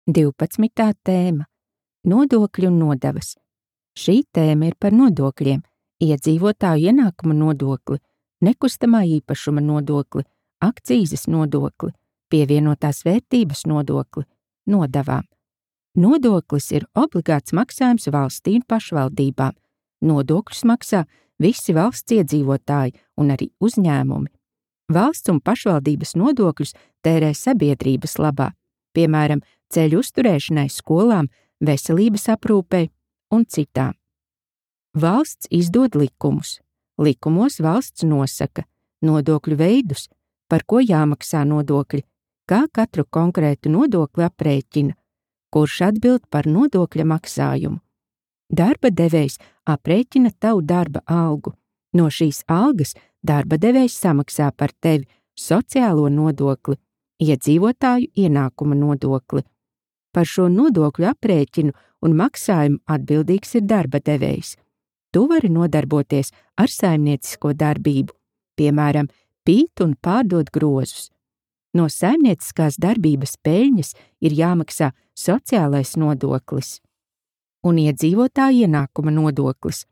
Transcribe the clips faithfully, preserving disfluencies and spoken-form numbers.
divpadsmitā tēma – Nodokļi un nodevas. Šī tēma ir par nodokļiem, iedzīvotāju ienākuma nodokli, nekustamā īpašuma nodokli, akcīzes nodokli, pievienotās vērtības nodokli, nodevām. Nodoklis ir obligāts maksājums valstī un pašvaldībām. Nodokļus maksā visi valsts iedzīvotāji un arī uzņēmumi. Valsts un pašvaldības nodokļus tērē sabiedrības labā, piemēram, ceļu uzturēšanai, skolām, veselības aprūpei un citām. Valsts izdod likumus. Likumos valsts nosaka nodokļu veidus, par ko jāmaksā nodokļi, kā katru konkrētu nodokli aprēķina, kurš atbild par nodokļa maksājumu. Darba devējs aprēķina tavu darba algu. No šīs algas darba devējs samaksā par tevi sociālo nodokli, iedzīvotāju ienākuma nodokli. Par šo nodokļu aprēķinu un maksājumu atbildīgs ir darba devējs. Tu vari nodarboties ar saimniecisko darbību, piemēram, pīt un pārdot grozus. No saimnieciskās darbības peļņas ir jāmaksā sociālais nodoklis un iedzīvotāju ienākuma nodoklis.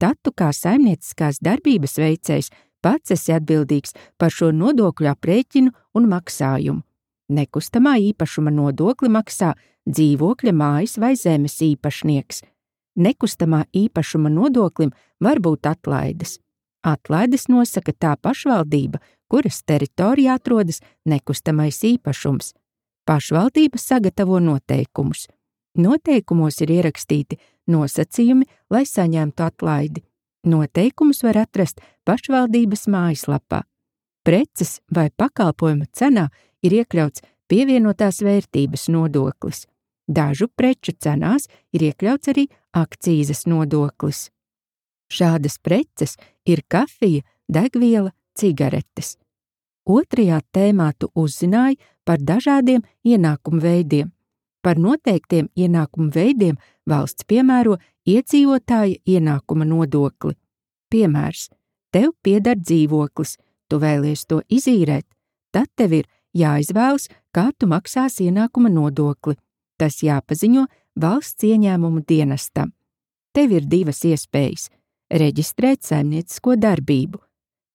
Tad tu kā saimnieciskās darbības veicējs pats esi atbildīgs par šo nodokļu aprēķinu un maksājumu. Nekustamā īpašuma nodokli maksā dzīvokļa, mājas vai zemes īpašnieks. Nekustamā īpašuma nodoklim var būt atlaides. Atlaides nosaka tā pašvaldība, kuras teritorijā atrodas nekustamais īpašums. Pašvaldība sagatavo noteikumus. Noteikumos ir ierakstīti nosacījumi, lai saņemtu atlaidi. Noteikumus var atrast pašvaldības mājaslapā. Preces vai pakalpojumu cenā ir iekļauts pievienotās vērtības nodoklis. Dažu preču cenās ir iekļauts arī akcīzes nodoklis. Šādas preces ir kafija, degviela, cigaretes. Otrajā tēmā tu uzzināji par dažādiem ienākumu veidiem. Par noteiktiem ienākumu veidiem valsts piemēro iedzīvotāja ienākuma nodokli. Piemērs: tev pieder dzīvoklis, tu vēlies to izīrēt, tad tev ir jāizvēlas, kā tu maksāsi ienākuma nodokli. Tas jāpaziņo valsts ieņēmumu dienestam. Tev ir divas iespējas – reģistrēt saimniecisko darbību,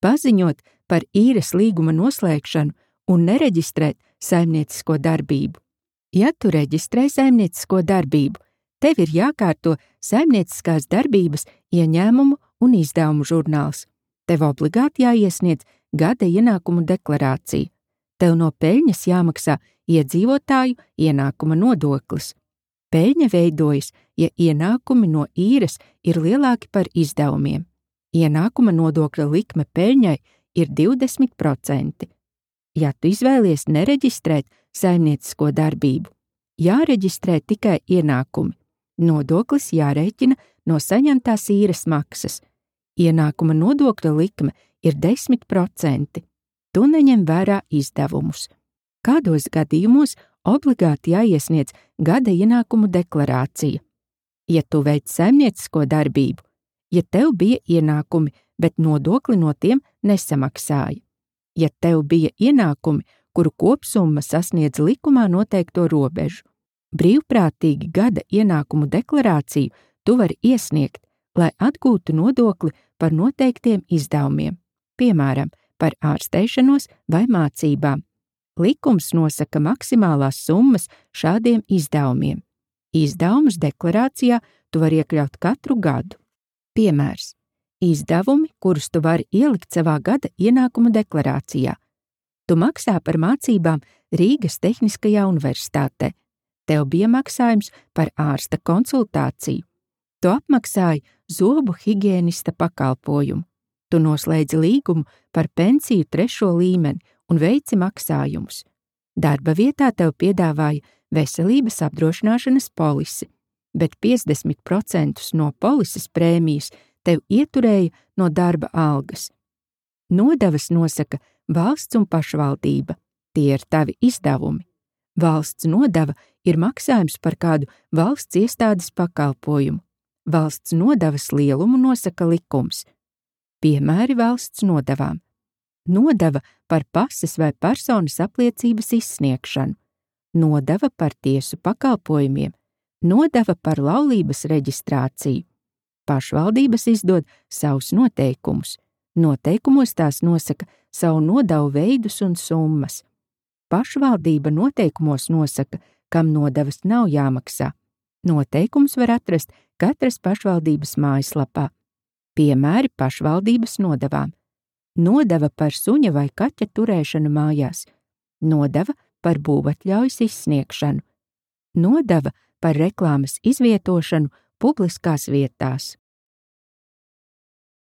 paziņot par īres līguma noslēgšanu un nereģistrēt saimniecisko darbību. Ja tu reģistrē saimniecisko darbību, tev ir jākārto saimnieciskās darbības ieņēmumu un izdevumu žurnāls. Tev obligāti jāiesniedz gada ienākumu deklarācija. Tev no peļņas jāmaksā iedzīvotāju ienākuma nodoklis. Peļņa veidojas, ja ienākumi no īres ir lielāki par izdevumiem. Ienākuma nodokļa likme peļņai ir divdesmit procenti. Ja tu izvēlies nereģistrēt saimniecisko darbību, jāreģistrē tikai ienākumi. Nodoklis jārēķina no saņemtās īres maksas. Ienākuma nodokļa likme ir desmit procenti. Tu neņem vērā izdevumus. Kādos gadījumos obligāti jāiesniedz gada ienākumu deklarācija? Ja tu veic saimniecisko darbību, ja tev bija ienākumi, bet nodokli no tiem nesamaksāja. Ja tev bija ienākumi, kuru kopsumma sasniedz likumā noteikto robežu. Brīvprātīgi gada ienākumu deklarāciju tu vari iesniegt, lai atgūtu nodokli par noteiktiem izdevumiem, piemēram, par ārsteišanos vai mācībām. Likums nosaka maksimālās summas šādiem izdevumiem. Izdevumus deklarācijā tu vari iekļaut katru gadu. Piemērs: izdevumi, kurus tu vari ielikt savā gada ienākumu deklarācijā. Tu maksā par mācībām Rīgas Tehniskajā universitātē. Tev bija maksājums par ārsta konsultāciju. Tu apmaksāji zobu higienista pakalpojumu. Tu noslēdzi līgumu par pensiju trešo līmeni un veici maksājumus. Darba vietā tev piedāvāja veselības apdrošināšanas polisi, bet piecdesmit procentus no polises prēmijas tev ieturēja no darba algas. Nodevas nosaka valsts un pašvaldība. Tie ir tavi izdevumi. Valsts nodeva ir maksājums par kādu valsts iestādes pakalpojumu. Valsts nodevas lielumu nosaka likums. Piemēri valsts nodevām: nodeva par pases vai personas apliecības izsniegšanu, nodeva par tiesu pakalpojumiem, nodeva par laulības reģistrāciju. Pašvaldības izdod savus noteikumus. Noteikumos tās nosaka savu nodevu veidus un summas. Pašvaldība noteikumos nosaka, kam nodevas nav jāmaksā. Noteikums var atrast katras pašvaldības mājaslapā. Piemēri pašvaldības nodevām. Nodeva par suņa vai kaķa turēšanu mājās. Nodeva par būvatļaujas izsniegšanu. Nodeva par reklāmas izvietošanu publiskās vietās.